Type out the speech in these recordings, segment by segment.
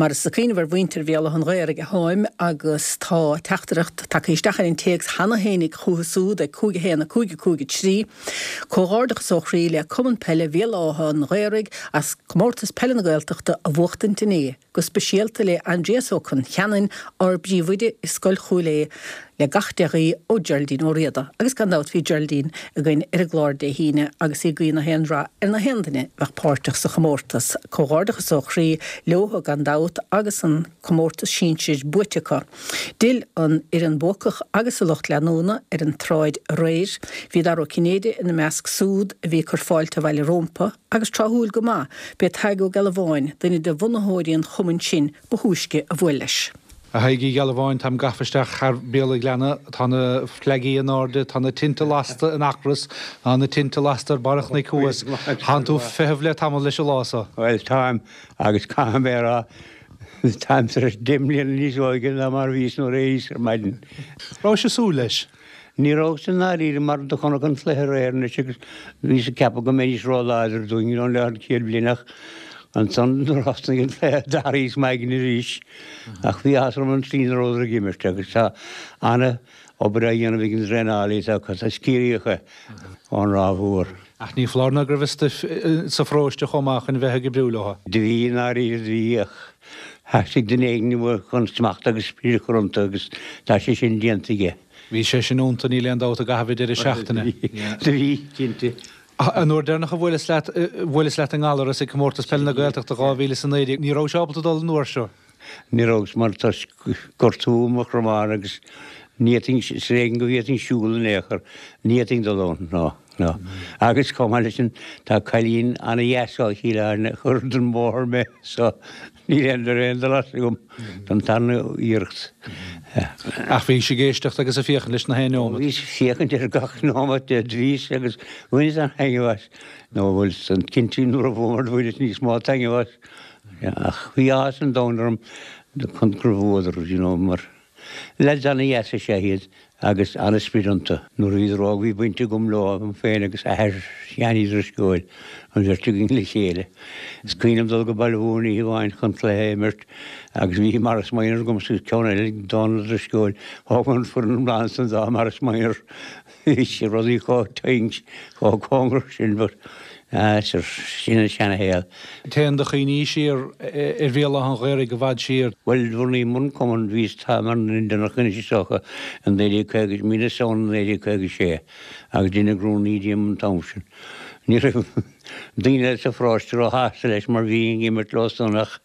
Mar is ag cuimhneamh ar mhuintir Bhéal Átha an Ghaorthaidh atáim agus tá teachtaireacht tagtha isteach ar an téacs cheana fhéinig chucu súd ag 5 1 5 5 3. Comhghairdeachas ó chroí le Cumann Peile Bhéal Átha an Ghaorthaidh as Comórtas Peile na Gaeltachta a bhuachtaint inné. Go speisialta le Aindrias Ó Concheanainn, ár bpríomhoide i Scoil Chúil Aodha, le gach dea-ghuí ó Geraldine Ó Riada. Agus gan dabht bhí Geraldine againn ar an gclár Dé hAoine agus í ag guí na haon rath ar na haon duine a bheadh páirteach sa chomórtas. Comhghairdeachas ó chroí leothu gan dabht agus an comórtas sinsir buaite acu. D'fhill an fhoireann buacach agus a lucht leanúna ar an tsráid aréir. Bhí Dara Ó Cinnéide ina measc súd a bhí ag cur fáilte abhaile rómpa. Agus tráthúil go maith, b'é Tadhg Ó Gealbháin, duine de bhunaitheoirí an chumainn sin, ba thúisce a bhuail leis. A Thaidhg Uí Ghealbháin, táim gafa isteach thar Bhéal an Ghleanna, tá na fleagaí in airde, tá na tinte lasta in Eachros, tá na tinte lasta ar barr an chnoic thuas. Tánn tú ag feitheamh le tamall leis an lá so. Bhuel, táim, agus caithfidh mé a rá, táim tar éis 10 mbliana níos óige ná mar a bhíos nuair a éiríos ar maidin. Rabhais ag súil leis? Ní rabhas i ndáiríre mar do chonac an cluiche aréir anois agus bhíos ag ceapadh go mbeidís ró-láidir dúinn you know le an chéad bhliain ach ansan nuair a thosnaigh an cluiche d'athraíos m'aigne arís ach bhí áthas orm an tslí ina rabhadar ag imirt agus tá ana obair á dhéanamh ag an dtraenálaí atá acu, is Ciarraíoch é ón Ráth Mhór. Ach ní foláir ná go raibh stuif sa pharóiste chomh maith chun bheith ag oibriú leo. Do bhí i ndáiríre do bhí ach Theastaigh duine éigin uaidh chun smacht agus sprid a chur iontu agus tá sé sin déanta aige. Bhí sé sin iontu, níl aon dabht, i gcaitheamh an deireadh seachtaine. Do bhí, cinnte. An uair deireanach a bhuaileas leat, bhuaileas leat i nGallaras ag Comórtas Peile na Gaeltachta 2019. Ní rabhais ábalta dul an uair seo. Ní rabhas mar tá gortú i mo chromán agus ní fhéadfainn, is ar éigean go bhféadfainn siúl in aon chor, ní fhéadfainn dul ann, ná. Ná. Agus chomh maith leis sin, tá cailín ana-dheas ó Chill Airne a chuir den bhóthar mé so níl aon aon dul as agam don tarna iarracht. Ach bhís ag éisteacht agus ag féachaint leis na haon neomat. Bhíos ag féachaint ar gach nóimeat de, bhíos agus bhaineas an-taitneamh as. Nó bhuel, san cinnte nuair a bhuamar bhaineas níos mó taitneamh as. Ach bhí áthas an domhain orm chun gur bhuadar, you know, mar. Leaids ana-dheas is ea iad agus ana-sprid iontu. Nuair a bhíodar óg bhí baint agam leo féin agus athair Sheáin Uí Drisceoil, an bheirt againn le chéile. Is cuimhin liom dul go Baile Mhúirne oíche amháin chun cluiche a imirt agus bhí Maurice Minor agamsa agus ceann eile ag Dónal Ó Drisceoil. Thóg an foireann iomlán san dá Maurice Minor. Bhí sé rudaí chomh tinn, chomh cóngarach sin but ah sure, sin an seana-shaol. Téann do chuimhní siar ar Bhéal Átha an Ghaorthaidh i bhfad siar. Bhuel, bhunaíomar an cumann, bhíos táim ar an nduine deireanach anois is dócha, i 1950, mí na Samhna 1956 agus deineadh rúnaí díom an t-am sin. Ní raibh daoine eile sa pharóiste róshásta leis mar bhínn ag imirt leo san ach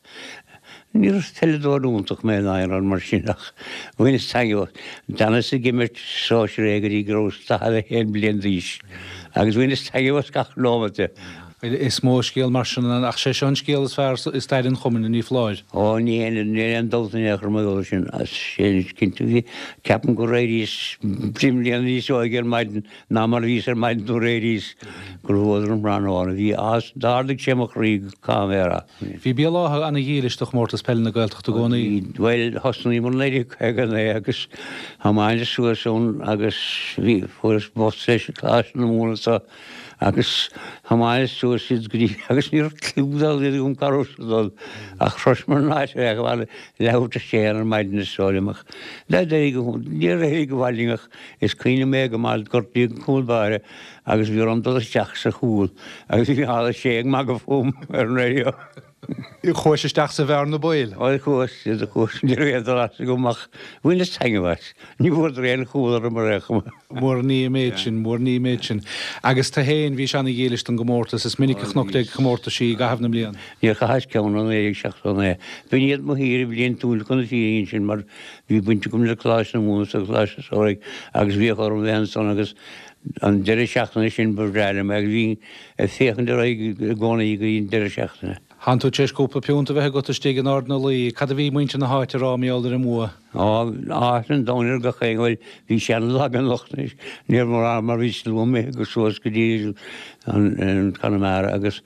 Ní peileadóir iontach mé in aon rud mar sin ach bhaineas taitneamh as. D'fhanas ag imirt sóisir A go dtí go rabhas 41 bliain d'aois agus bhaineas taitneamh as gach nóiméad de. Is mó scéal mar sin ann ach sé seo an scéal is fearr i stair an chumainn, ní foláir. Ó ní aon dabht in aon chor mar gheall air sin. Sin cinnte. Bhí, ceapaim gur éiríos deich mbliana níos óige ar maidin ná mar a bhíos ar maidin nuair a éiríos gur bhuadar an tráthnóna. Bhí, d'ardaigh sé mo chroí, caithfidh mé a rá. Bhí Béal Átha ana-dhílis do Chomórtas Peile na Gaeltachta i gcónaí. Bhuel, thosnaíomar 1959 agus thiomáineas suas ann agus bhí, fuaireas bus leis an Coláiste na Mumhan anso agus thiomáineas suas iad go dtí, agus ní raibh cliú dá laghad agam cá rabhas ag dul ach shroiseamar an áit ar feadh leathuair tar éis a haon ar maidin is dóigh liom ach d'éirigh go, níor éirigh go maith linn ach is cuimhin liom é go maith, gortaíodh an cúl báire Agus bhí orm dul isteach sa chúl agus bhí Micheál Ó Sé ag magadh fúm ar an raidió. Chuais isteach sa bhearna baoil? Ó chuas, chuas, ní raibh aon dul as agam ach bhaineas taitneamh as. Ní bhfuaireadar aon chúl orm ar aon chuma. Mura ní an méid sin, mura ní an méid sin. Agus tu fhéin, bhís ana-dhílis don gcomórtas. Is minic a chonac tú ag comórtaisí i gcaitheamh na mblian. Níor chaitheas ceann ó 1979. B'in iad mo shaoire bhliantúil chun na fírinne sin mar bhí baint agam le Coláiste na Mumhan agus Coláiste an Samhraidh agus bhíodh orm bheith ansan agus An deireadh seachtaine sin ba bhreá liom é agus bhínn ag féachaint ar aghaidh i gcónaí go dtí an deireadh seachtaine. Thánn tú tar éis cúpla piúnt a bheith agat istigh in Ard na Laoi. Cad a bhí muintir na háite a rá mar gheall ar an mbua? Á, áthas an domhain ar gach éinne. Bhuel, bhí sé an-lag anocht anois. Níor mhór mar bhí slua imithe suas go dtí an Conamara agus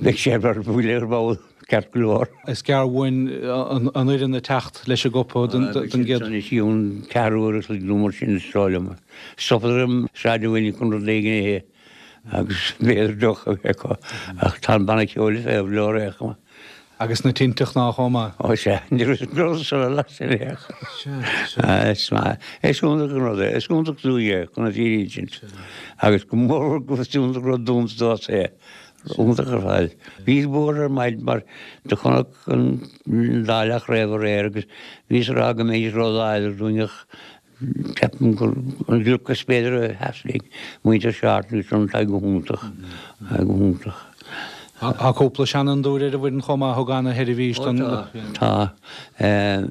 beidh sé ar buile ar ball. Ceart go leor. Is gearr uainn an fhoireann ag teacht leis an gcupa don gcéad. Anois í an ceathrú uair a chloig nó mar sin is dóigh liom. Stopadar i Sráid an Mhuilinn chun rud éigin a ithe agus b'fhéidir deoch a bheith acu ach tá an banna ceoil ag feitheamh leo ar aon chuma. Agus na tinte chná chomh maith. Ó sea, ní raibh rud sula las in aon chor. Sea, sea. Is maith, is iontach an rud é, is iontach dúinn é, chun na fírinne a insint. Agus go mór go is iontach rud dúinn domhsa é. Iontach ar fad. Bhíos buartha ar maidin mar do chonac an dá leath-chraobh aréir agus bhíos ag rá go mbeidís ró-láidir dúinn ach Ceapaim gur an gliocas is b'fhéidir a sheas linn, muintir Charton agus an tá go hiontach, tá go hiontach. Tá cúpla seanfhondúir ar an bhfoireann chomh maith a thug ana-sheirbhís don. Tá, tá.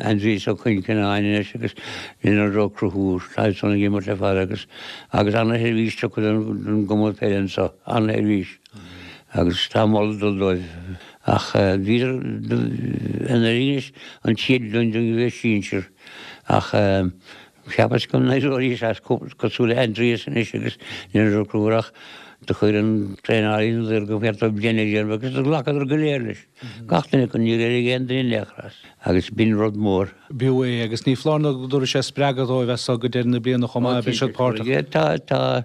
Aindrias Ó Coinceannáin anois agus Leonard Ó Conchúir, tá siad san ag imirt le fada agus agus ana-sheirbhís tugtha don gcumann peile anseo, ana-sheirbhís agus tá moladh ag dul dóibh. Ach bhíodar anuraidh anois an chéad bhliain dúinn a bheith sinsir. Ach cheapas go n-éireoidís as cosúil le Aindrias anois agus Leonard Ó Conchúir ach do chuir an traenálaí in iúl gur cheart dóibh bliain a dhéanamh agus do ghlacadar go léir leis. Gach duine acu, níor éirigh aon duine in aon chor as agus b'in rud mór. B'fhiú é agus ní foláir nó go dtabharfaidh sé spreagadh dóibh as so go deireadh na bliana chomh maith, beidh siad páirteach. Tá, tá.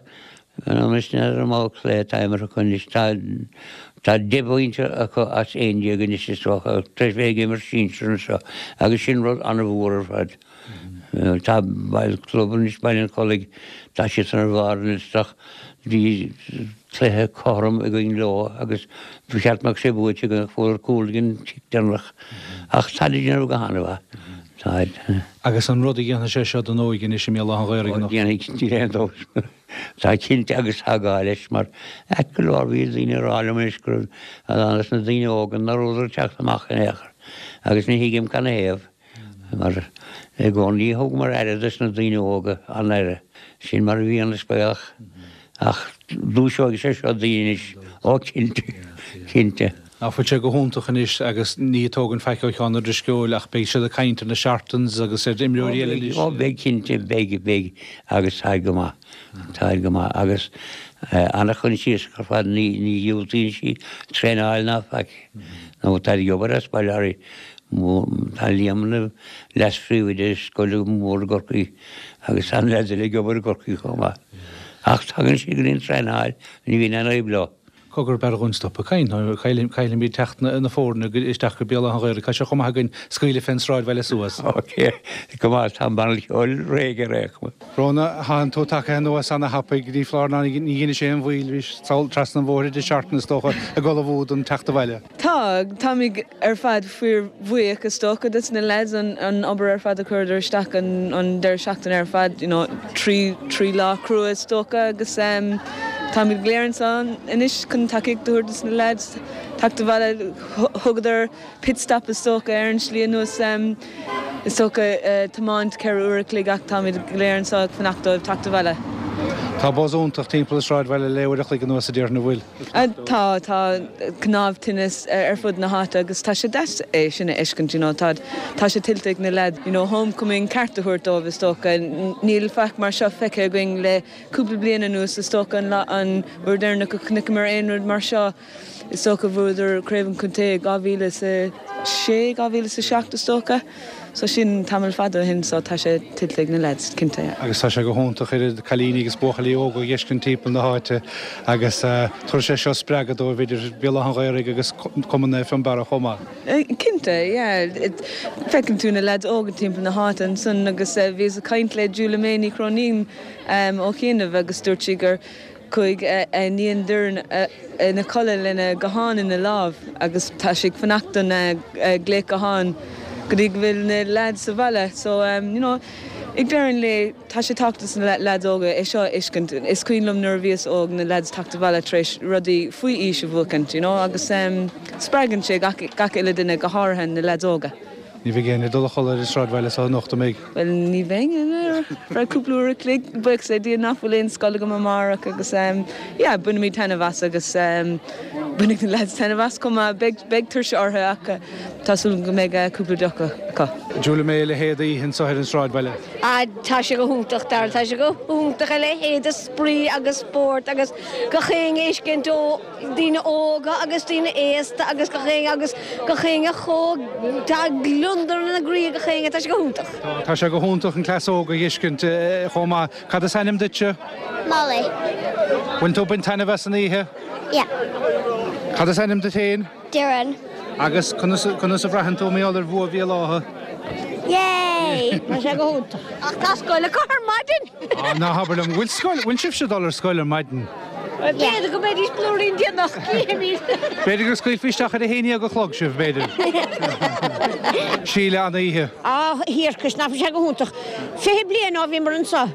Anois n'fheadar an mbeadh cluiche atá imeartha acu anois. Tá tá 10 bpointe acu as 11 anois is dócha tar éis bheith ag imirt sinsir anseo agus sin rud an-mhór ar fad. Tá bail club anois Baile an Chollaigh tá siadsan ar bharr an liosta ach bhí cluiche cothrom againn leo agus ba cheart go mbeadh sé buaite againn ach fuair cúl ag an chic deireanach ach táid ag déanamh go han-mhaith. Táid. Agus an rud a dhéanfaidh sé seo don óige anois i mBéal Átha an Ghaorthaidh anocht. Déanfaidh, níl aon dabht. Tá cinnte agus tá gá leis mar ait go leor bhí daoine ag rá liom anois go raibh a lán des na daoine óga nach rabhadar ag teacht amach in aon chor agus ní thuigim canathaobh mar i gcónaí thugamar aire dos na daoine óga, an-aire. Sin mar a bhíonn is baolach ach dúiseoidh sé seo daoine anois, ó cinnte, cinnte. Ná fuil sé go hiontach anois agus ní ag tógaint faic ó Sheán Ó Drisceoil ach beidh siad ag caint ar na Chartons agus ar imreoirí eile anois. Ó beidh cinnte, beidh, beidh agus táid go maith, táid go maith agus an-choinsiasach ar fad, ní, ní dhiúltaíonn sí traenáil ná faic nó táid ag obair as baile Átha Tá Liam ina leas-phríomhoide i scoil mhór i gCorcaigh agus tá an leaid eile ag obair i gCorcaigh chomh maith. Ach tagann siad go dtí an traenáil, ní bhíonn aon fhadhb leo. Cogar, b'fhearr dhúinn stop ag caint nó caillfimid teacht na foirne isteach go Béal Átha an Ghaorthaidh. Tá sé chomh maith againn scaoileadh fén sráidbhaile suas. Ok, go maith, tá an banna ceoil réidh ar aon chuma. Rhona, thánn tú tagtha anuas ana-thapaidh, ní foláir ná ní dheinis aon mhoill, bhís sall trasna an bhóthair i dtigh Charton is dócha, ag ullmhú don teacht abhaile. Tá, táimid ar fad fíorbhuíoch is dócha dos na lads an obair ar fad a chuireadar isteach an deireadh seachtaine ar fad, you know trí trí lá crua is dócha agus táimid go léir anseo anois chun tacaíocht a thabhairt dos na lads teacht abhaile. Thugadar pit stop is dócha ar an slí anuas is dócha tiomáint 4 uair a chloig ach táimid go léir anseo ag fanacht dóibh teacht abhaile. Tá buzz iontach timpeall an sráidbhaile le uair a chloig anuas a déarfainn an bhfuil? Tá, tá cnámh tine ar fud na háite agus tá sé deas é sin a fheiscint, you know, tá, tá sé tuillte ag na leaids, you know, homecoming ceart a thabhairt dóibh is dócha. Níl faic mar seo feicthe againn le cúpla bliain anuas is dócha, an lá, an uair deireanach a chonaiceamar aon rud mar seo is dócha bhuadar Craobh an Chontae i 2006, 2007 is dócha. So sin tamall fada ó shin so tá sé tuillte ag na leaids, cinnte, yeah. Agus tá sé go hiontach oiread cailíní agus buachaillí óga a dh'fheiscint timpeall na háite agus tabharfaidh sé seo spreagadh dóibh idir Béal Átha an Ghaorthaidh agus Cumann Naomh Fionnbarra chomh maith. Cinnte, yeah. Feiceann tú na leaids óga timpeall na háite ansan agus bhíos ag caint le Julia May Ní Chróinín ó chianaibh agus dúirt sí gur Chuaigh a iníon Doireann ina codladh lena guthán ina lámh agus tá sí ag fanacht don glaoch gutháin go dtí go bhfuil na leaids sa bhaile. So, you know, ag deireadh an lae, tá sé tábhachtach dos na leaids óga é seo a fheiscint. Is cuimhin liom nuair a bhíos óg na leaids teacht abhaile tar éis rudaí faoi aois a bhuachaint, you know, agus spreagann sé gach gach uile duine, go háirithe na leaids óga. Ní bheidh éinne ag dul a chodladh ar an sráidbhaile so anocht, an mbeidh? Bhuel, ní bheinn ar feadh cúpla uair a chloig, buíochas le Dia nach bhfuil aon scoil agam amárach agus yeah, bainfimid taitneamh as agus bainfidh na lads taitneamh as chomh maith. Beidh, beidh tuirse orthu ach tá súil agam go mbeidh cúpla deoch acu. Julia May, a leithéid d'oíche anseo ar an sráidbhaile. Ah, tá sé go hiontach, Darragh, tá sé go hiontach, a leithéid de spraoi agus spórt agus gach éinne ag fheiscint ó. daoine óga agus daoine aosta agus gach éinne agus gach éinne chomh, tá gliondar ina gcroí ag gach éinne, tá sé go hiontach. Tá sé go hiontach an cleas óg a dh'fheiscint chomh maith. Cad is ainm duitse? Molly. Bhfuil tú ag baint taitneamh as an oíche? Yeah. Cad is ainm duit féin? Doireann. Agus conas conas a bhraitheann tú mar gheall ar bhua Bhéal Átha? Yay! Tá sé go hiontach. Ach tá scoil acu ar maidin! Á, ná habair liom, bhfuil scoil, bhfuil sibhse ag dul ar scoil ar maidin? B'fhéidir go mbeidís blúirín déanach, cífimid. B'fhéidir go scaoilfí isteach ar a haon dhéag a chlog sibh, b'fhéidir. Síle, an-oíche. Á, a thiarcais, nach bhfuil sé go hiontach. 20 bliain ó bhíomar anseo.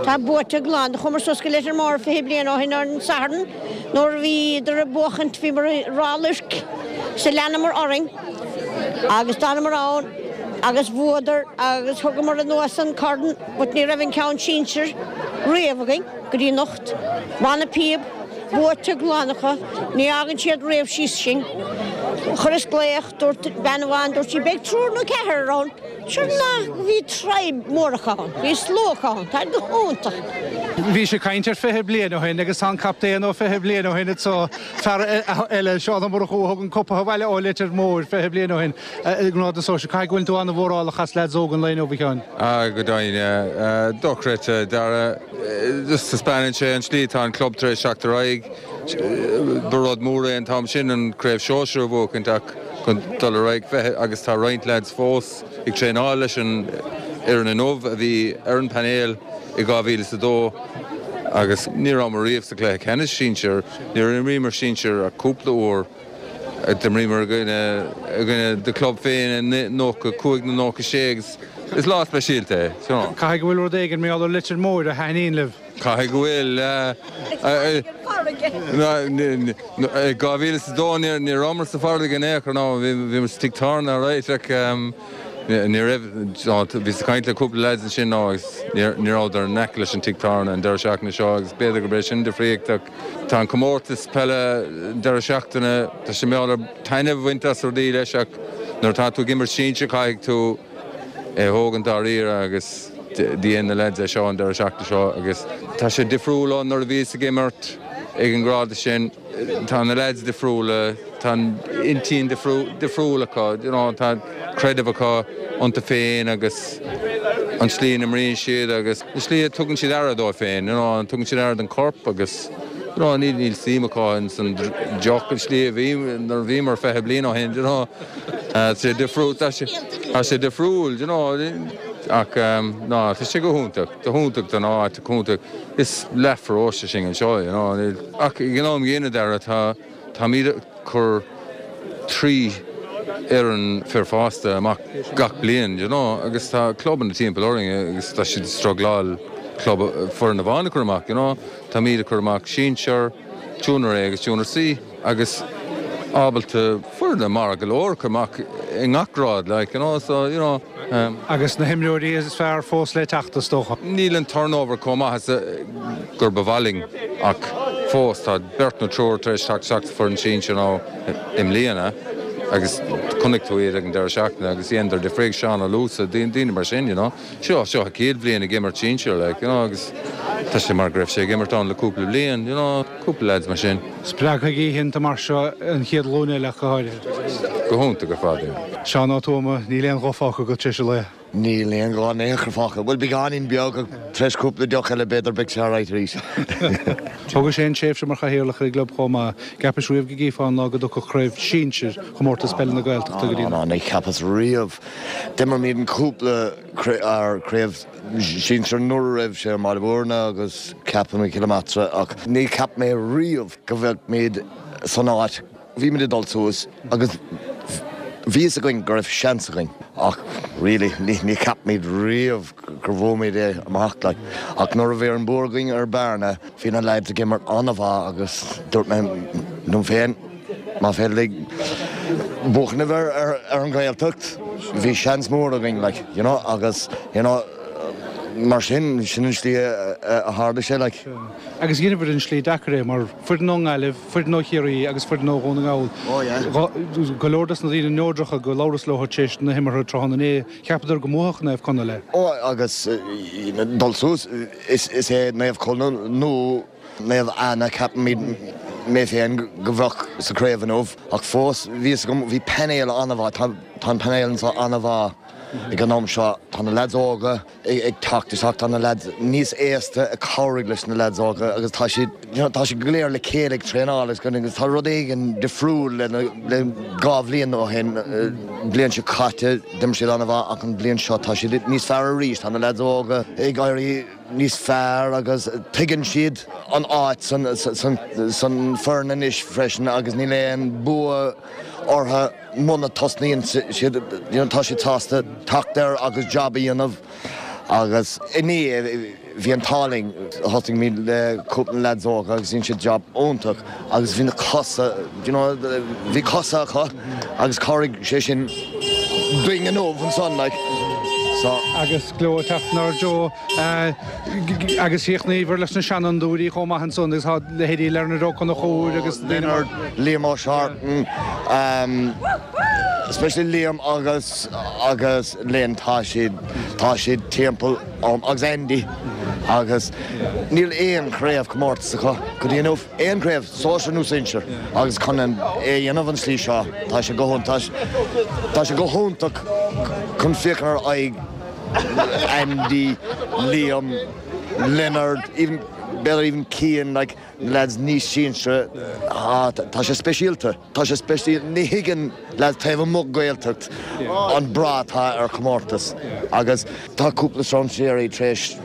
Tá buaite glan. Chuamar suas go Leitir Móir 20 bliain ó shin ar an Satharn nuair a bhíodar ag buachaint, bhíomar i Ráth Luirc so leanamar orainn agus d'fhanamar ann agus bhuadar agus thugamar anuas an corn but ní raibh an ceann sinsir riamh againn go dtí anocht. Banna píob buaite glan acu, ní fhágann siad riamh síos sinn. Chuireas glaoch, dúirt bean amháin, dúirt sí beidh triúr nó ceathrar ann. Sure enough bhí tribe mór acu ann, bhí slua acu ann, tá go hiontach. Bhí sé ag caint ar 20 bliain ó shin agus tá an captaen ó 20 bliain ó shin anseo, fear eile, Seán Ó Murchú, a thug an cupa abhaile ó Leitir Móir 20 bliain ó shin i ngrád na sóisear. Caithfidh go bhfuil tú an-mhórálach as leaids óga an lae inniu, a Sheáin. Ah, go deimhin. Dochreidte, Dara. Just taispeánann sé an tslí atá an club tar éis teacht ar aghaidh. Ba rud mór é an t-am sin an Craobh Shóisir a bhuachaint ach chun dul ar aghaidh bheith agus tá roinnt leaids fós ag traenáil leis an fhoireann inniu a bhí ar an bpainéal i 2002 agus ní rabhamar riamh sa chluiche ceannais sinsir, níor imríomar sinsir ach cúpla uair. D'imríomar i gcoinne do chlub féin i 95 nó 96 agus is lá speisialta é. Caithfidh go bhfuil rud éigin mar gheall ar Leitir Móir a thaitníonn libh. Caithfidh go bhfuil. I 2002 ní rabhamar sa bhfarraige in aon chor, ná bhíomar sa tigh tábhairne alright ach ní raibh, bhíos ag caint le cúpla lads ansin agus ní rabhadar in aice leis an tigh tábhairne an deireadh seachtaine seo agus b'fhéidir gurb é sin an difríocht ach tá an comórtas peile an deireadh seachtaine, tá sé mar gheall ar taitneamh a bhaint as rudaí leis ach nuair atá tú ag imirt sinsir caithfidh tú é a thógaint dáiríre agus dhein na leaids é seo an deireadh seachtaine seo agus tá sé difriúil ó nuair a bhíos ag imirt ag an ngrád sin. Tá na leaids difriúla, tá an intinn difriúil acu, you know, tá creideamh acu iontu féin agus an tslí a n-imríonn siad agus an tslí a tugann siad aire dóibh féin, you know, tugann siad aire don chorp agus you know, níl níl suim acu ins an deoch an tslí a bhí nuair a bhíomar 20 bliain ó shin, you know. Tá sé difriúil, tá sé, tá sé difriúil, you know, ach ná, tá sé go hiontach, go hiontach don áit, go hiontach. Is leathpharóiste sinn anseo, you know, ach ag an am gcéanna, Dara, tá, táimid ag cur 3 fhoireann fir fásta amach gach bliain, you know, agus tá clubanna timpeall orainn agus tá siad ag strugláil club, foireann amháin a chur amach, you know. Táimid ag cur amach sinsear, Junior A agus Junior C agus ábalta foirne maith go leor a chur amach i ngach grád like, you know, so, you know. Agus na himreoirí is fearr fós le teacht, is dócha. Níl an turnover chomh maith is gur ba mhaith linn ach fós tá beirt nó triúr tar éis teacht isteach sa foireann sinsir now i mbliana agus chonaic tú iad ag an deireadh seachtaine agus dheineadar difríocht, Seán Ó Luasa, daoine mar sin, you know. Seo, seo a chéad bhliain ag imirt sinsir, like, you know, agus tá sé mar go raibh sé ag imirt ann le cúpla bliain, you know, cúpla lads mar sin. Spreagfaidh oícheanta mar seo an chéad ghlúin eile ach go háirithe. Go hiontach ar fad, yeah. Seán Ó Tuama, níl aon ghuth fágtha agat tar éis an lae. Níl aon ghuth in aon chor fágtha. Bhuel, beagáinín beag ach tar éis cúpla deoch eile b'fhéidir beidh sé alright arís. Thógais aon tréimhse mar chathaoirleach ar an gclub chomh maith. Gceapais riamh go gcífeá an lá go dtiocfadh craobh sinsir Chomórtas Peile na Gaeltachta go dtí Ná, ná, ní cheapas riamh. D'imir muid cúpla craobh sinsir nuair a raibh sé i mBaile Bhúirne agus ceapaim i gCill Mheátra ach ní cheap mé riamh go bheadh muid san áit. Bhí muid ag dul suas agus bhí fhios againn go raibh seans againn ach really ní cheap muid riamh gur bhuaigh muid é amach like. Ach nuair a bhí an bua againn ar Bearna bhí na lads ag imirt an-mhaith agus dúirt mé liom féin, Má féidir linn buachan ar an Ghaeltacht, bhí seans mór againn, like, you know, agus, you know, mar sin, sin an slí a tharla sé, like. Agus dheineabhair an slí deacair é, mar foireann ón nGaillimh, foireann ó Chiarraí agus foireann ó Dhún na nGall. Oh yeah. Go leor dos na daoine neodracha go labhras leo tar éis na himeartha tráthnóna inné, cheapadar go mbuafadh Naomh Conaill é. Oh, agus dul suas, is é Naomh Conaill nó Naomh Anna, ceapaimid, mé féin, go bheadh sa chraobh inniu ach fós bhí fhios agam, bhí painéal an-mhaith, tá an painéal anseo an-mhaith. Ag an am seo tá na leaids óga ag teacht isteach, tá na leaids níos aosta ag cabhraigh leis na leaids óga agus tá siad, you know, tá siad go léir le chéile ag traenáil agus agus tá rud éigin difriúil le le 2 bhliain ó shin, bliain seo caite d'imir siad an-mhaith ach an bhliain seo tá siad níos fearr arís, tá na leaids óga ag éirí níos fearr agus tuigeann siad an áit san san foireann anois freisin agus níl aon bua orthu muna tosnaíonn siad, you know, tá siad sásta teacht air agus jab a dhéanamh agus inné bhí an t-ádh linn, thosaigh muid le cúpla leaids óga agus dhein siad jab iontach agus bhí na cosa, you know, bhí cosa acu agus chabhraigh sé sin dúinn inniu ansan like, so. Agus gleo ag teacht inár dtreo. Agus chríochnaíobhair leis na seanfhondúirí chomh maith ansan agus tá leithéidí Leonard Ó Conchúir agus daoine mar. Leonard, Liam Ó Seartan, especially Liam agus agus Len tá siad tá siad timpeall orm agus Andy agus níl aon chraobh comórtas acu go dtí inniu, aon chraobh, sóisir nó sinsir agus chun é a dhéanamh an slí seo tá sé go hiontach tá sé go hiontach chun féachaint ar aghaidh Andy, Liam, Leonard, even, b'fhéidir even Cian, like, lads níos sinsire, ah, tá sé speisialta, tá sé speisialta, ní thuigeann lads taobh amuigh Gaeltacht an brú atá ar chomórtas agus tá cúpla strainséirí tar éis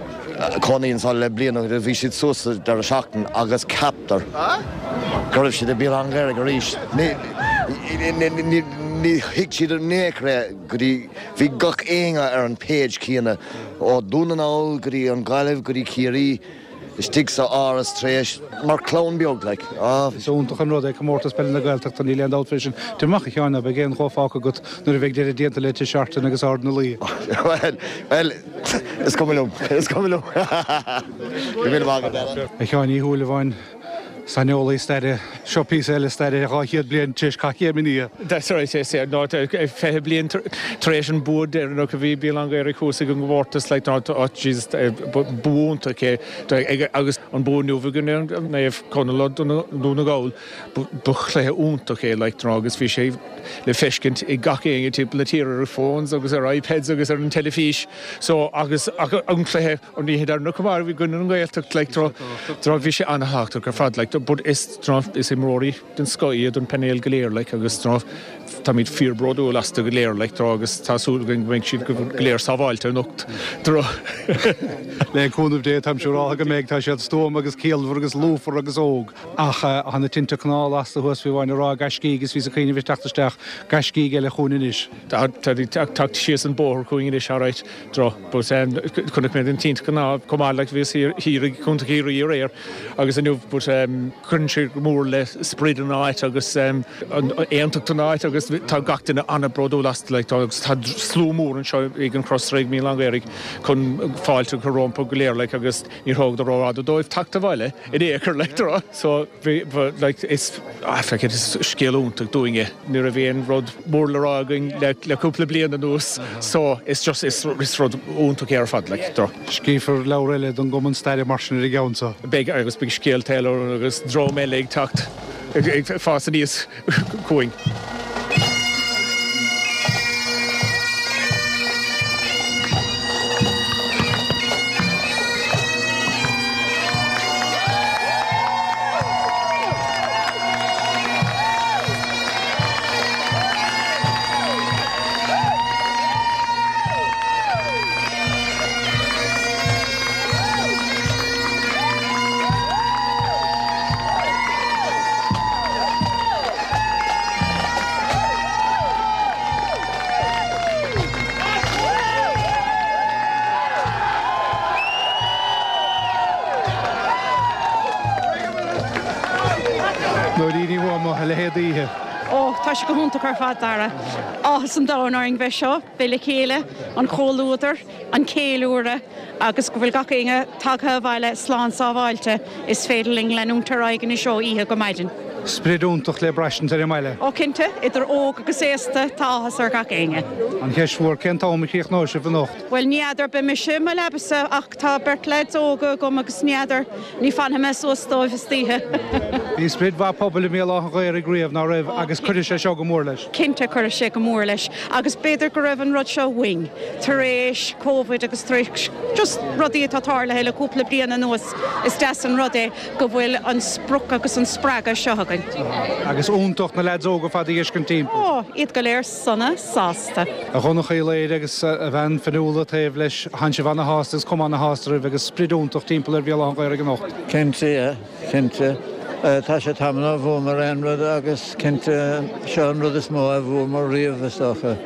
cónaí anseo le bliain ó bhí siad suas sa deireadh seachtain agus ceaptar go raibh siad i Béal Átha an Ghaorthaidh arís. Ní, ní, ní thuig siad in aon chor é go dtí Bhí gach éinne ar an page céanna, ó Dún na nGall go dtí an Ghaillimh go dtí Ciarraí, istigh sa áras tar éis, mar chlann beag like. Ah. Is iontach an rud é Comórtas Peile na Gaeltachta, níl aon dabht faoi sin. Tabhair amach a Sheáin, ná beidh aon cheo fágtha agat nuair a bheidh deireadh déanta le Tigh Seartan agus Ard na Laoi. Bhuel, bhuel, is cuma liom, is cuma liom. Go raibh míle maith agat, Alan. A Sheáin Uí Shúilleabháin. Saineolaí staire, seo píosa eile staire 200 bliain tar éis cath Chéim an Fhia. That's right, yes, yeah. No, 20 bliain tar éis an bua deireanach a bhí Béal Átha an Ghaorthaidh thuas ag an gcomórtas, like, no, oh, Jesus, bua iontach é. Agus an bua inniu i gcoinne Naomh Conaill Dún na nGall, ba chluiche iontach é, like, no, agus bhí sé le feiscint ag gach éinne timpeall na tíre ar phones agus ar iPads agus ar an teilifís. So, agus an cluiche, An oíche deireanach chomh maith i gcoinne an Ghaeltacht like do bhí sé an-thábhachtach ar fad like but is is imreoirí den scoth iad an painéal go léir like agus táimid fíor bródúil astu go léir like agus tá súil againn go mbeidh siad go léir sábháilte anocht. Le cúnamh Dé táim siúráltha go mbeidh, tá siad stuama agus ciallmhar agus lúfar agus óg ach tá na tinte cnámha lasta thuas fiú amháin ag rá gaiscígh is bhíos ag cuimhneamh ag teacht isteach gaiscígh eile chugainn anois. Tá ag teacht síos an bóthar chugainn anois alright. Dro, but chonaic mé na tinte cnámha chomh maith like bhíos thiar i gContae Chiarraí aréir agus inniu but cuireann sé go mór le sprid an áit agus an aontacht an áit agus tá gach duine an-bhródúil astu like tá agus tá slua mór anseo ag an Crossraigh Míol an Ghaorthaidh chun fáilte a chur rompu go léir like agus níor thógadar rófhada dóibh teacht abhaile in aon chor like dro so Bhí, like, is, ah, feck it, is scéal iontach dúinn é. Ní raibh aon rud mór le rá againn le, le cúpla bliain anuas so is just, is, is rud iontach é ar fad, like, do. Scríofar leabhar eile don gCumann Staire mar sin ar an gceann seo. Beidh, agus beidh scéalta eile agus dream eile ag teacht, ag, ag fás aníos chugainn. Nóirín Ní Thuama, a leithéid d'oíche. Ó, tá sé go hiontach ar fad, Dara. Áthas an domhain orainn bheith seo, bheith le chéile, an comhluadar, an ceiliúradh agus go bhfuil gach éinne tagtha abhaile slán sábháilte. Is féidir linn leanúint ar aghaidh anois ó oíche go maidin. Sprid iontach le braistint ar an mbaile. Ó cinnte, idir óg agus aosta, tá áthas ar gach éinne. An cheist mhór, cén t-am a chríochnóidh sibh anocht? Bhuel, ní fheadar, beidh mise i mo leaba-sa ach tá beirt leaids óga agam agus ní fheadar, ní fanfaidh mé suas dóibh istoíche. Bhí sprid mhaith pobail i mBéal Átha an Ghaorthaidh riamh, ná raibh, agus cuirfidh sé seo go mór leis. Cinnte, cuirfidh sé go mór leis agus b'fhéidir go raibh an rud seo uainn tar éis Covid agus tar éis just rudaí atá tarlaithe le cúpla bliain anuas, is deas an rud é go bhfuil an sprioc agus an spreagadh seo againn. Agus iontach na leaids óga ar fad a fheiscint timpeall. Ó, iad go léir sona sásta. A Dhonncha Uí Laoire agus a bhean Fionnuala taobh leis, thánn sibh ana-shásta agus cuma ana-shásta oraibh agus sprid iontach timpeall ar Bhéal Átha an Ghaorthaidh anocht. Cinnte, yeah, cinnte. Tá sé tamall ó bhuamar aon rud agus cinnte seo an rud is mó a bhuamar riamh is dócha,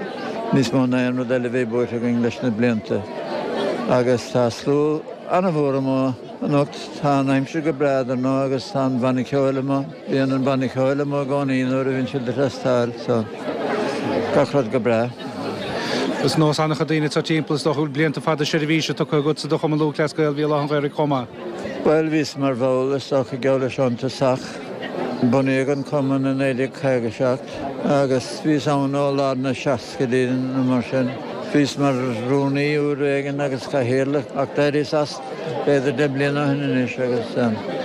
níos mó ná aon rud eile a bhí buaite againn leis na blianta. Agus tá slua an-mhór amuigh. Anocht tá an aimsir go breá dar ndóigh agus tá an banna ceoil amuigh. Bíonn an banna ceoil amuigh i gcónaí nuair a bhíonn siad ag trastáil so gach rud go breá. Is nós an-chuid daoine atá timpeall, is dócha go bhfuil blianta fada seirbhíse tugtha agatsa do Chumann Lúthchleas Gael Bhéal Átha an Ghaorthaidh chomh maith. Bhuel, bhíos mar bhall is dócha geall leis ón tosach. Bunaíodh an cumann i 1957 agus bhíos ann ó lár na seascaidí nó mar sin. Bhíos mar rúnaí uair éigin agus cathaoirleach ach d'éiríos as. B'fhéidir 10 mbliana ó shin anois agus.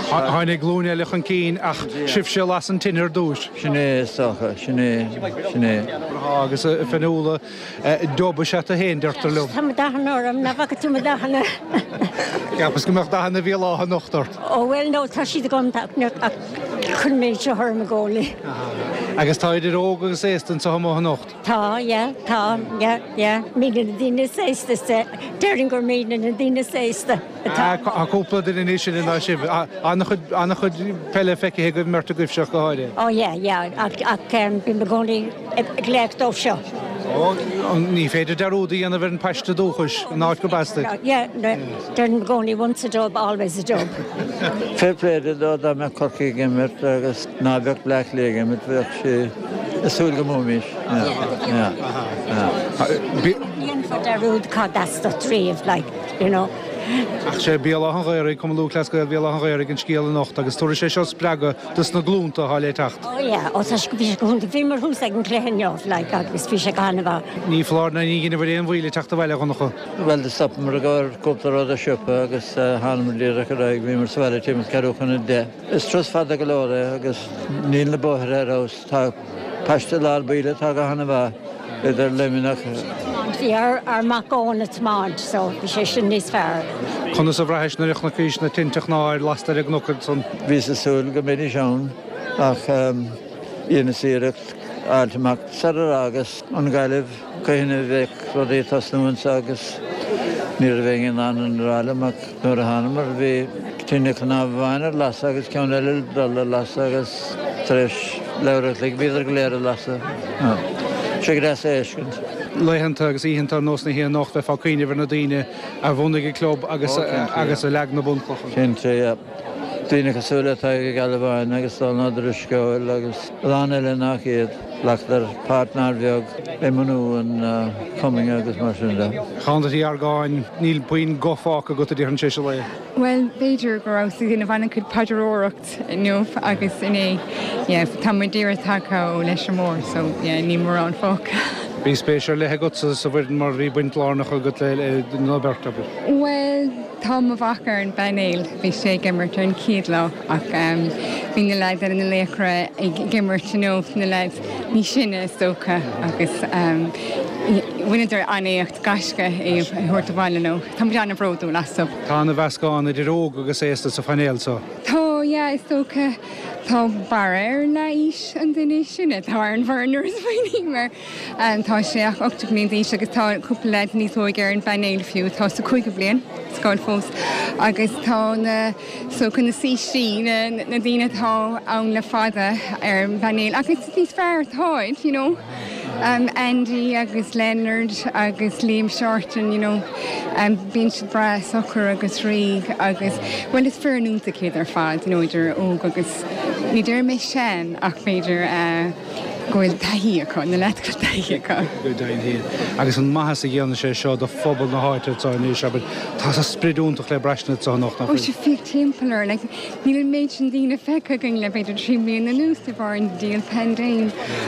Tháinig glúin eile chun cinn ach sibhse a las an tine ar dtús. Sin é is dócha, sin é, sin é. Agus a Fionnuala, dubh is ea tú féin, deirtear liom. Tá mo dathanna orm, nach bhfaca tú mo dathanna? Cheapas go mbeadh dathanna Bhéal Átha anocht ort. Ó bhuel no, tá siad agam ach cuirim iad seo orm i gcónaí. Agus tá idir óg agus aosta anseo amuigh anocht. Tá, yeah, tá, yeah, yeah. Muidne na daoine is aosta, déarfainn gur muidne na daoine is aosta atá. Tá cúpla duine níos sine ná sibh. An-chuid, an-chuid peile feicthe agaibh, an mbeirt agaibhse ach go háirithe. Oh yeah, yeah, ach, ach bím i gcónaí ag glaoch dóibh seo. Ó, ní féidir dearúd a dhéanamh ar an paiste dúchais, an áit gurb as duit. Yeah, deirim i gcónaí once a Dub, always a Dub. Fair play dó dá mbeadh Corcaigh ag imirt agus ná beadh Bleá Cliath ag imirt, bheadh sé ag súil go mbuaimís. Ní dhéanfá dearúd cad as duit riamh, like, you know. Ach sé Béal Átha an Ghaorthaidh, Cumann Lúthchleas Gael Bhéal Átha an Ghaorthaidh an scéal anocht agus tabharfaidh sé seo spreagadh dos na glúnta atá le teacht. Oh yeah, oh tá sé, bhí sé go hiontach. Bhíomar thuas ag an gcluiche inniu, like, agus bhí sé go han-mhaith. Ní foláir ná ní dheineabhair aon mhoill ag teacht abhaile, a Dhonncha. Bhuel, do stopamar i gcomhair cúpla rud i siopa agus thánamar díreach ar aghaidh. Bhíomar sa bhaile timpeall ceathrú chun a 10. Is turas fada go leor é agus níl na bóithre ar fheabhas. Tá paiste lár bíle atá go hana-mhaith idir Luimneach. Bhí ár mac Eoin ag tiomáint so bhí sé sin níos fearr. Conas a bhraithis nuair a chonaicís na tinte chnámh lasta ar an gcnoc ansan? Bhíos ag súil go mbeidís ann ach dheineas iarracht fháilt amach sarar fhágas an Ghaillimh cathain a bheadh rudaí ag tosnú anso agus ní raibh éinne in ann a rá liom ach nuair a thánamar bhí tine chnámh amháin ar lasadh agus ceann eile le dul ar lasadh agus tar éis leathuair a chloig bhíodar go léir ar lasadh. Sé go deas a fheiscint. Laethanta agus oícheanta ar nós na hoíche anocht bheifeá ag cuimhneamh ar na daoine a bhunaigh an club agus agus a leag na bunchlocha. Cinnte, yeah. Daoine cosúil le Tadhg Ó Gealbháin agus Dónal Ó Drisceoil agus a lán eile nach iad. Ghlacadar páirt nár bheag i mbunú an chumainn agus mar sin de. A Shaunaí Uí Argáin, níl puinn guth fágtha agat a déarfainn tar éis an lae. Bhuel, b'fhéidir go rabhas ag déanamh an-chuid paidreoireacht inniu agus inné. Yeah, tá muid díreach tagtha ó Leitir Móir so yeah, níl mórán fágtha. Bhí spéis ar leith agatsa sa bhfoireann mar bhí baint lárnach agat lena beirt, abair. Bhuel, Tá mo mhac ar an bpainéal, bhí sé ag imirt ar an chéad lá ach bhí na leaids eile, na laochra ag imirt inniu, na leaids níos sine is dócha agus bhaineadar an-éacht, gaisce é a thabhairt abhaile leo. Tá muid an-bhródúil astu. Tá an-mheascán idir óg agus aosta sa phainéal seo. Tá, yeah, is dócha. Tá barra ar leath aois an duine is sine atá ar an bhfoireann nuair a smaoiním air. Tá sé ach 18 bliain d'aois agus tá cúpla leaid níos óige ar an bpainéal fiú atá sa cúigiú bliain scoil fós agus tá na so na saoirsí, na na daoine atá ann le fada ar an bpainéal agus is níos fearr atáid, you know. Andy agus Leonard agus Liam Shorten, you know, bíonn siad breá socair agus réidh agus bhuel is foireann iontach iad ar fad, you know, idir óg agus ní déarfaidh mé sean ach b'fhéidir eh. Go bhfuil taithí acu, na leaids go bhfuil taithí acu. Go deimhin féin. Agus an maitheas a dhéanann sé seo do phobal na háite anseo anois, abair, tá sprid iontach le braistint anseo anocht, nach bhfuil? Ó, sea, féach timpeall orainn, like, níl an méid sin daoine feicthe againn le b'fhéidir 3 mbliana anuas de bharr an diabhal paindéim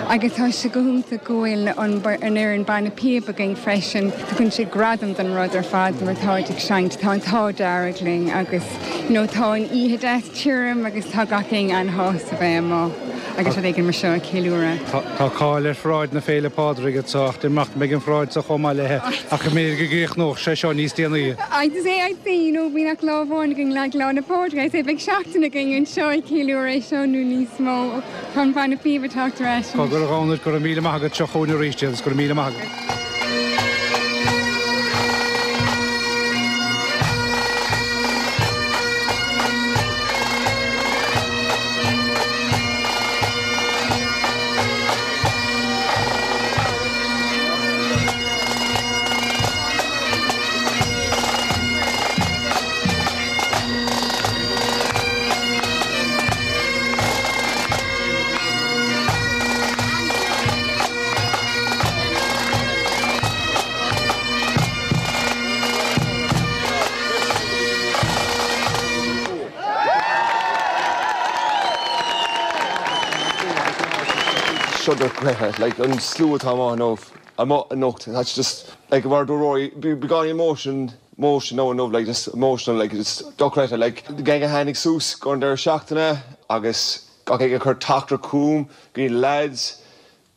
agus tá sé go hiontach go bhfuil an an fhoireann banna píob againn freisin. Tugann sé gradam don rud ar fad mar táid ag seinnt, tá an t-ádh dearg linn agus you know tá an oíche deas tirim agus tá gach éinne an-shásta bheith amuigh agus rud éigin mar seo a cheiliúradh. Tá cáil ar pharáid na Féile Pádraig anseo ach déarfainn go mbeidh an pharáid seo chomh maith léi ach go mb'fhéidir go gcríochnódh sé seo níos déanaí. I'd say, I'd say, you know, bíonn ach lá amháin againn le Lá 'le Pádraig, I'd say beidh seachtain againn anseo ag ceiliúradh é seo nó níos mó. Tá an banna píob ag teacht ar ais. Cogar a Dhomhnaill, go raibh míle maith agat, seo chugainn arís iad agus go raibh míle maith agat. Seo dochreidte, like an slua atá amuigh inniu, amuigh anocht, that's just, like mar a dúirt Rory, beagán emotion, emotion now inniu, like just emotional, like it's dochreidte, like the gang a tháinig suas go an deireadh seachtaine agus gach éinne ag cur teachtaireacht chugam, go dtí na lads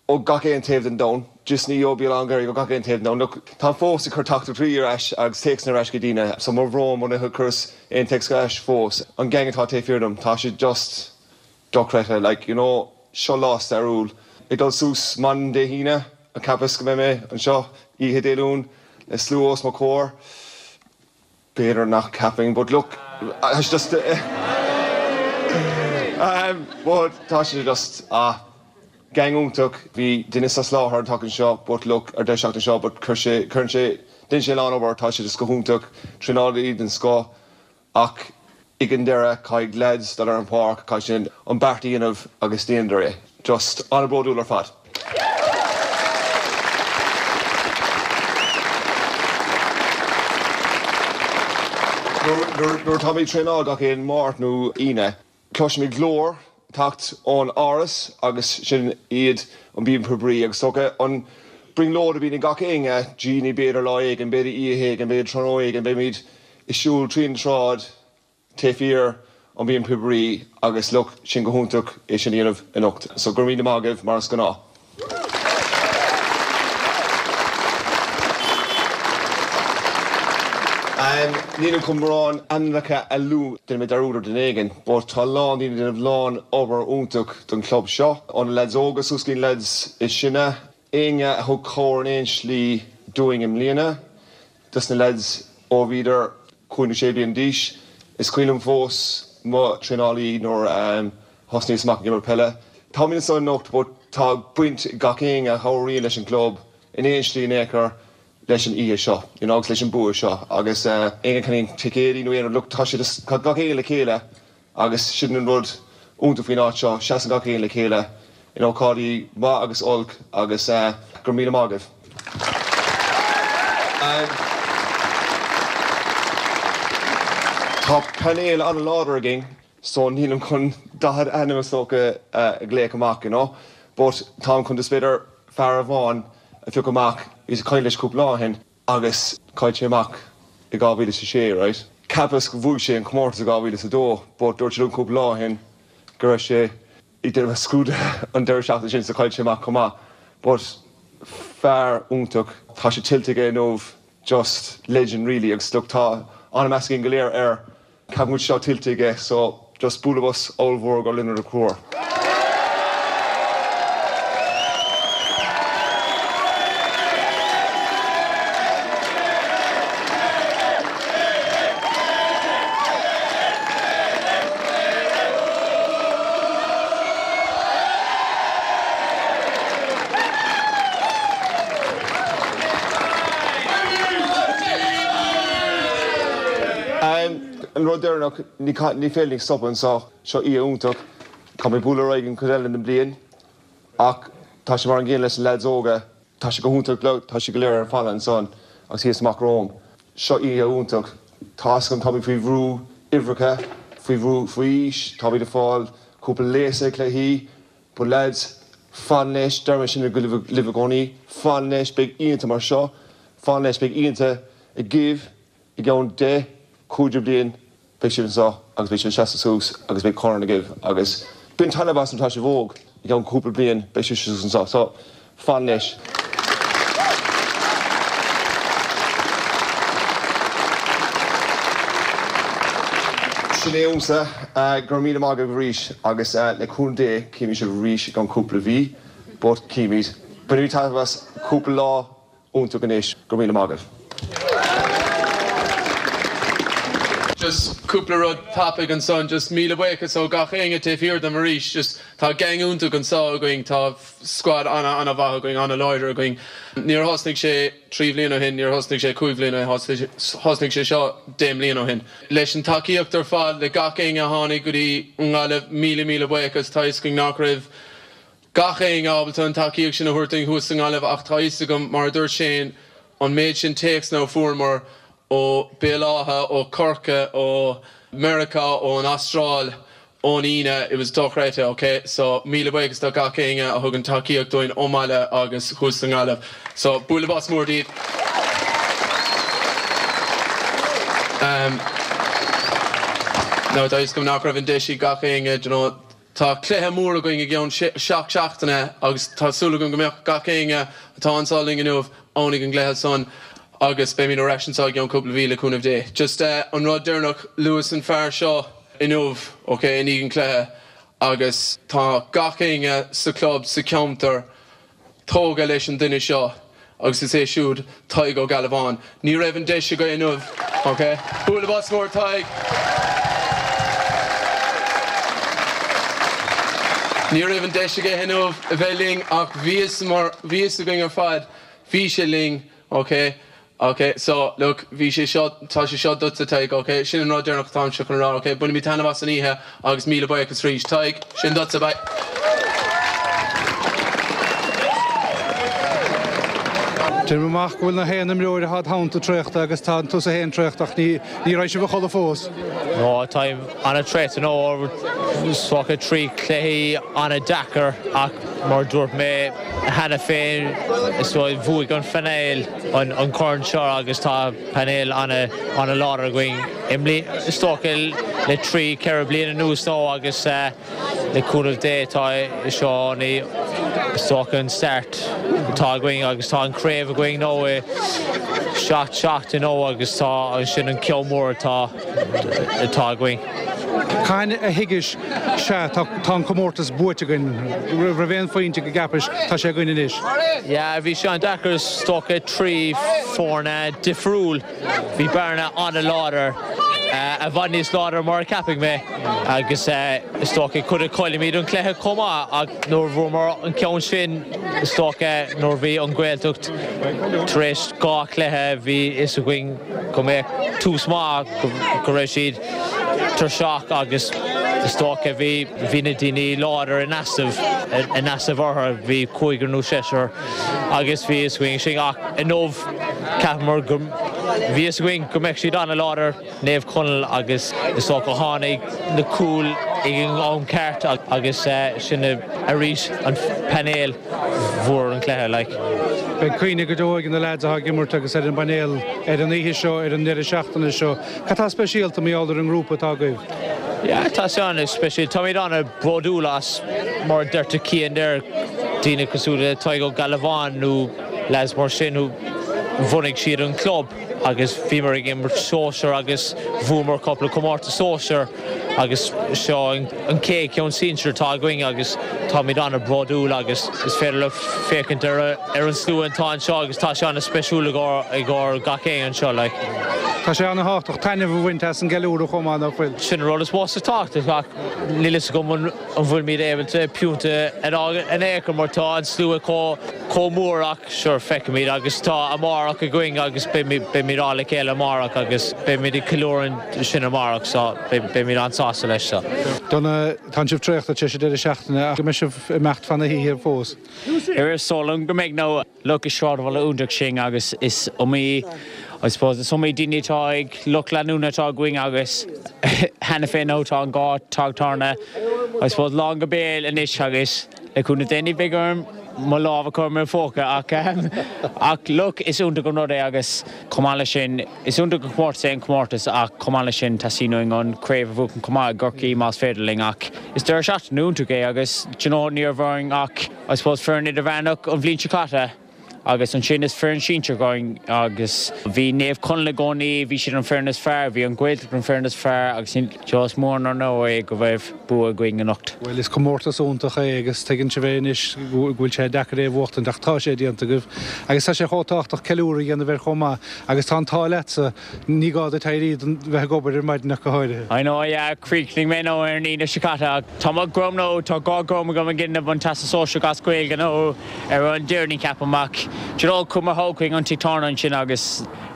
ó gach aon taobh den domhan, just ní ó Bhéal Átha an Ghaorthaidh, ó gach aon taobh den domhan. Look, táim fós ag cur teachtaireachtaí ar ais agus téacsanna ar ais go daoine, so mo bhrón muna chuireas aon téacs ar ais fós. An gang atá taobh thiar dom, tá siad just dochreidte, like, you know, seo lá stairiúil. Ag dul suas maidin Dé hAoine, an cheapas go mbeidh mé anseo oíche Dé Luain le slua os mo chomhair? B'fhéidir nach gceapfainn, but look, it's just but tá sé just, ah, gang iontach. Bhí duine sa soláthar an tseachtain seo, but look, ar deireadh seachtaine seo, but chuir sé, cuireann sé, déanann sé a lán obair, tá sé just go hiontach, traenálaí den scoth. Ach ag an deireadh, caithfidh leaids dul ar an pháirc, caithfidh siad an beart a dhéanamh agus déanadar é. Just an-bhródúil ar fad. Nuair atáimid ag traenáil gach aon Máirt nó Aoine, cloisimid glór ag teacht ón áras agus sin iad an Bíonn Píobairí agus is dócha an brionglóid a bhíonn ag gach éinne, Jeannie, b'fhéidir lá éigin, b'fhéidir oíche éigin, b'fhéidir tráthnóna éigin, beimid ag siúl tríd an tsráid taobh thiar an Bíonn Píobairí agus look, sin go hiontach é sin a dhéanamh anocht. So go raibh míle maith agaibh mar is gnáth. Nílim chun mórán ainmneacha a lua, déanfaidh mé dearúd ar duine éigin, but tá a lán daoine ag déanamh lán obair iontach don chlub seo, ó na leaids óga suas go dtí na leaids is sine, éinne a thug cabhair in aon slí dúinn i mbliana. Dos na leaids ó bhíodar 5 nó 6 bliana d'aois. Is cuimhin liom fós mo traenálaí nuair a thosnaíos amach ag imirt peile. Táimid anseo anocht but tá baint ag gach éinne a chabhraíonn leis an gclub in aon slí in aon chor leis an oíche seo you know agus leis an bua seo agus éinne a cheannaíonn ticéidí nó aon rud look tá siad tá gach éinne le chéile Agus sin an rud iontach faoin áit seo, seasann gach éinne le chéile in ócáidí maith agus olc agus go raibh míle maith agaibh. Tá painéal an-láidir againn so nílim chun 40 ainm is dócha a ghlaoch amach you know but táim chun just b'fhéidir fear amháin a phiocadh amach, bhíos ag caint leis cúpla lá ó shin. Agus chaill sé amach i 2006, right? Cheapas go bhuaigh sé an comórtas i 2002 but dúirt sé liom cúpla lá ó shin go raibh sé ag déanamh scrúduithe an deireadh seachtaine sin so chaill sé amach chomh maith. But fear iontach, tá sé tuillte aige inniu, just legend really agus look tá an-mheas againn go léir air. Ceapaim go bhfuil sé seo tuillte aige so just bualadh bos ollmhór go Lionáird Ó Conchúir. An rud deireanach, ní féidir linn stopadh anseo, seo oíche iontach, caithfimid bualadh ar aghaidh an chuid eile den bhliain ach. Tá sé mar an gcéanna leis na leaids óga. Tá sé go hiontach, tá siad go léir ar an phainéal ansan agus thíos amach romham. Seo oíche iontach. Tá's agam táimid faoi bhrú uimhreacha, faoi bhrú faoi aois, táimid ag fáil cúpla léasadh ag cluichí. But lads, fan leis, deir mé sin libh i gcónaí, fan leis, beidh oícheanta mar seo, fan leis, beidh oícheanta agaibh i gceann 10, 15 bliain, beidh sibh anseo agus beidh sibh ag seasamh suas agus beidh corn agaibh agus bain taitneamh as mar tá sibh óg, i gceann cúpla bliain beidh sibh suas anseo, so fan leis. Sin é uaimse, go raibh míle maith agaibh arís agus le cúnamh Dé cífimid sibh arís i gceann cúpla mhí, but cífimid. Bainigí taitneamh as cúpla lá iontach anois, go raibh míle maith agaibh. Just cúpla rud tapaidh ansan, just míle buíochas ó gach éinne taobh thiar dom arís, just tá gang iontach anso againn, tá squad ana ana mhaith againn, ana láidir againn. Níor thosnaigh sé 3 bhliain ó shin, níor thosnaigh sé 5 bhliain ó shin, thosnaigh sé seo 10 mbliain ó shin. Leis an tacaíocht ar fad, le gach éinne a tháinig go dtí an nGaillimh, míle míle buíochas, tá fhios againn nach raibh gach éinne ábalta an tacaíocht sin a thabhairt dúinn thuas sa nGaillimh ach tá fhios agam, mar a dúirt Shane, an méid sin téacsanna a fuaireamar ó Béal Átha, ó Corcaigh, ó Meiriceá, ón Astráil, ón Aoine, it was dochreidte, ok? So, míle buíochas do gach éinne a thugann tacaíocht dúinn ón mbaile agus thuas sa nGaillimh. So, bualadh bos mór daoibh. Um, now, tá fhios agam nach raibh an deis ag gach éinne, do you know, Tá cluiche mór againn i gceann 7 seachtaine agus tá súil agam go mbeadh gach éinne atá anso linn inniu ann ag an gcluiche san agus beimid ar ais anso i gceann cúpla mhí le cúnamh Dé. Just an rud deireanach, luas an fear seo inniu, ok, i ndiaidh an cluiche agus tá gach éinne sa club, sa cheantar, tógtha leis an duine seo agus is é siúd Tadhg Ó Gealbháin. Ní raibh an deis aige inniu, ok? Bualadh bos mór Tadhg! Ní raibh an deis aige inniu a bheith linn ach bhí fhios mar bhí fhios againn ar fad, bhí sé linn, ok? Ok, so, look, bhí sé seo, tá sé seo duitse, Tadhg, ok? Sin an rud deireanach atáimse chun a rá, ok? Bainimid taitneamh as an oíche agus míle buíochas arís. Tadhg, sin duitse, bye. Déanaim amach go bhfuil na haon imreoir atá id theannta traochta agus tá tusa féin traochta ach ní ní raibh sibh a chodladh fós. No, táim an-traochta nó is dócha 3 cluichí an-deacair ach mar a dúirt mé cheana féin is dóigh bhuaigh an phainéal an corn seo agus tá painéal an-láidir againn i mbliana, is dócha le 3, 4 bliana anuas nó agus le cúnamh Dé tá seo is dócha an start atá againn agus tá an craobh againn nó i 7 seachtain ó agus tá sin an ceann mór atá atá againn. Cathain a thuigis, sea, tá an comórtas buaite againn, raibh aon phointe go gceapais, tá sé againn anois? Yeah, bhí sé an-deacair is dócha, 3 foirne difriúil, bhí Bearna an-láidir, i bhfad níos láidre mar a cheapfaidh mé agus is dócha cuid a chaillimid an cluiche chomh maith ach nuair a bhuamar an ceann sin is dócha nuair a bhí an Ghaeltacht tar éis dhá chluiche bhí fhios againn go mbeadh tús maith go raibh siad tuirseach agus is dócha bhí bhí na daoine láidir in easnamh in easnamh orthu, bhí cúigear nó seisear agus bhí fhios againn sin ach inniu cheapamar go bhí fhios againn go mbeadh siad an-láidir, Naomh Conaill agus is dócha tháinig na cúil ag an am ceart agus sin arís an painéal bhuaigh an cluiche like. Beidh cuimhne go deo ag na leaids atá ag imirt agus ar an bpainéal ar an oíche seo, ar an ndeireadh seachtaine seo. Cad tá speisialta mar gheall ar an ngrúpa atá agaibh? Yeah, tá sé an-speisialta. Táimid an-bhródúil as, mar a deir Cian there, daoine cosúil le Tadhg Ó Gealbháin nó lads mar sin who bhunaigh siad an club agus bhíomar ag imirt sóisear agus bhuamar cúpla comórtas sóisear agus seo an chéad cheann sinsir atá againn agus táimid an-bhródúil agus is féidir leat féachaint ar ar an slua atá anseo agus tá sé an-speisiúil i gcomhair gach éinne anseo like. Tá sé an-thábhachtach taitneamh a bhaint as an gceiliúradh chomh maith, nach bhfuil? Sin an rud is mó is tábhachtach ach níl fhios agam an bhfuilimid ábalta piúnta a fháil in aon chor mar tá an slua chomh mór ach sure feicfimid agus tá amárach againn agus beimid all le chéile amárach agus beimid ag ceiliúradh sin amárach so beimid an-sásta. sásta leis so. Donna, Tánn sibh traochta tar éis an deireadh seachtaine ach go mbeidh sibh ag imeacht fan na hoíche fós. Is dóigh liom go mbeidh nó look is sráidbhaile iontach sinn agus is iomaí I suppose is iomaí daoine atá ag lucht leanúna atá againn agus cheana féin nó tá an dá teach tábhairne I suppose lán go béal anois agus le cúnamh Dé ní bheidh orm mo lámh a chur i mo phóca ach ach look is iontach an rud é agus chomh maith leis sin is iontach an comórtas é an comórtas ach chomh maith leis sin teastaíonn uainn an craobh a bhuachan chomh maith i gCorcaigh más féidir linn ach is deireadh seachtaine iontach é agus do you know ní raibh orainn ach I suppose foireann idirmheánach an bhliain seo caite agus ansin is foireann sinsir againn agus bhí Naomh Conaill i gcónaí, bhí siad an foireann is fearr, bhí an Ghaeltacht an foireann is fearr agus you know is mór an onóir é go raibh bua againn anocht. Bhuel is comórtas iontach é agus tuigeann sibh é anois go bhfuil sé deacair é a bhuachtaint ach tá sé déanta agaibh agus tá sé chomh tábhachtach ceiliúradh a dhéanamh air chomh maith agus tá an t-ádh leatsa Ní gá duit éirí don bheith ag obair ar maidin ach go háirithe. I know, yeah, chríochnaigh mé nó ar an Aoine seo caite ach tá mo dhroim nó tá dhá dhroim agam ag déanamh an Teastas Sóisearach as Gaeilge nó ar an Déardaoin ceapaim ach do you know chuir mo chuig an tigh tábhairne ansin agus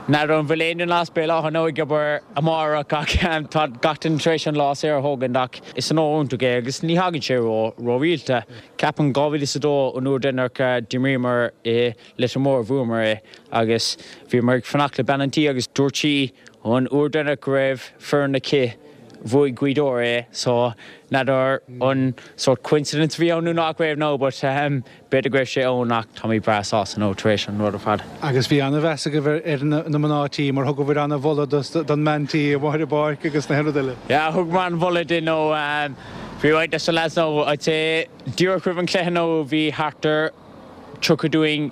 n'fheadar an bhfuil aon duine as Béal Átha nó ag obair amárach ach tá gach duine tar éis an lá saor a thógaint ach is onóir iontach é agus ní thagann sé ró ró rialta. Ceapaim 2002 an uair deireanach a d'imríomar i Leitir Móir bhuamar é agus bhíomar ag fanacht le bean an tí agus dúirt sí an uair deireanach go raibh foireann aici bhuaigh Gaoth Dobhair é so n'fheadar an sort coincidence a bhí ann nó nach raibh no but b'fhéidir go raibh sé ann ach táimid breá sásta nó tar éis an rud ar fad. Agus bhí ana-mheas agaibh ar na mná tí mar thugabhair ana-mholadh don mbean tí amuigh ar an bpáirc agus na haon rud eile. Yeah thugamar an-mholadh di nó bhí roinnt de na lads nó I'd say díreach roimh an chluiche nó bhí thart ar 30 dúinn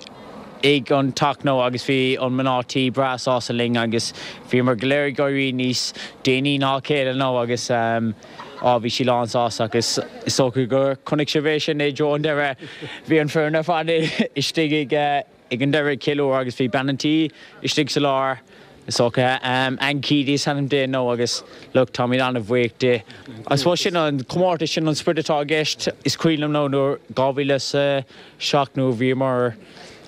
ag an teach nó agus bhí an mná tí breá sásta linn agus bhíomar go léir ag éirí níos déanaí ná a chéile nó agus á bhí sí lán sásta agus is dócha gur chonaic sibh é sin i dtreo an deireadh. Bhí an foireann ar fad istigh ag ag an deireadh ag ceiliúradh agus bhí bean an tí istigh sa lár. Is dócha Ann Keady is ainm di nó agus look táimid an-bhuíoch di. I suppose sin an comórtas, sin an sprid atá i gceist. Is cuimhin liom nó nuair 2007 nuair a bhíomar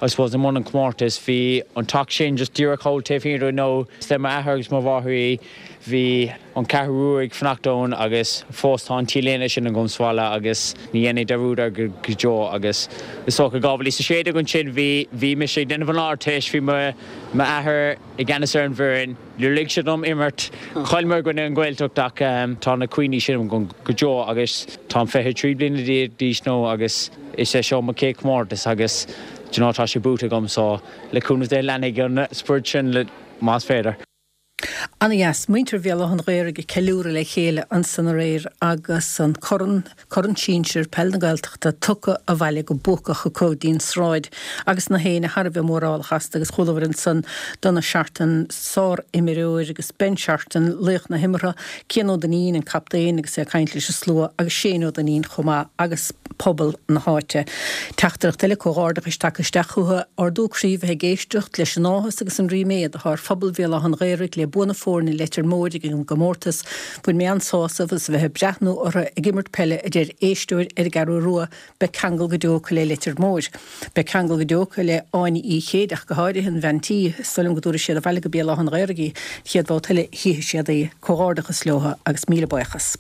I suppose i mbun an chomórtais bhí an teach sin just díreach thall taobh thiar dúinn nó is le m'athair agus mo mháthair í. Bhí an Cheathrú Rua ag fanacht ann agus fós tá an t-léine sin agam sa bhaile agus ní dhéanfaidh dearúd air go deo agus is dócha 2016 ansin bhí bhí mise ag déanamh an Ardteist bhí mo M'athair i gceannas ar an bhfoireann, níor lig sé dom imirt. Chailleamar i gcoinne an Ghaeltacht ach tá na cuimhní sin agam go deo agus táim 23 bliana d'aois now agus is é seo mo chéad chomórtas agus do you know tá sé buaite agam so le cúnamh Dé leanfaidh an sprid sin más féidir. Ana-dheas. Muintir Bhéal Átha an Ghaorthaidh ag ceiliúradh le chéile ansan aréir agus an corn, Corn Sinsir Peil na Gaeltachta, tugtha abhaile go buacach acu dtí'n sráid agus na héinne thar a bheith mórálach astu agus chualabhair ansan Donagh Shorten, sár-imreoir agus Ben Shorten, laoch na himeartha, Cian Ó Duinnín, an captaen agus é ag caint leis an slua agus Shane Ó Duinnín chomh maith agus pobal na háite. Teachtaireacht eile comhghairdeachais tagtha isteach chucu, ardú croí bheith ag éisteacht leis an áthas agus an ríméad atá ar phobal Bhéal Átha an Ghaorthaidh le bua na foirne Leitir Móir ag an gcomórtas. Bhain mé an-sásamh as a bheith ag breathnú orthu ag imirt peile a deir éisteoir ar an gCeathrú Rua, beidh ceangal go deo acu le Leitir Móir. Beidh ceangal go deo acu le Áine Uí Chéideach go háirithe, an bhean tí. Is dóigh liom go dtabharfaidh siad abhaile go Béal Átha an Ghaorthaidh í an chéad bhabhta eile a chífidh siad í. Comhghairdeachas leo agus míle buíochas.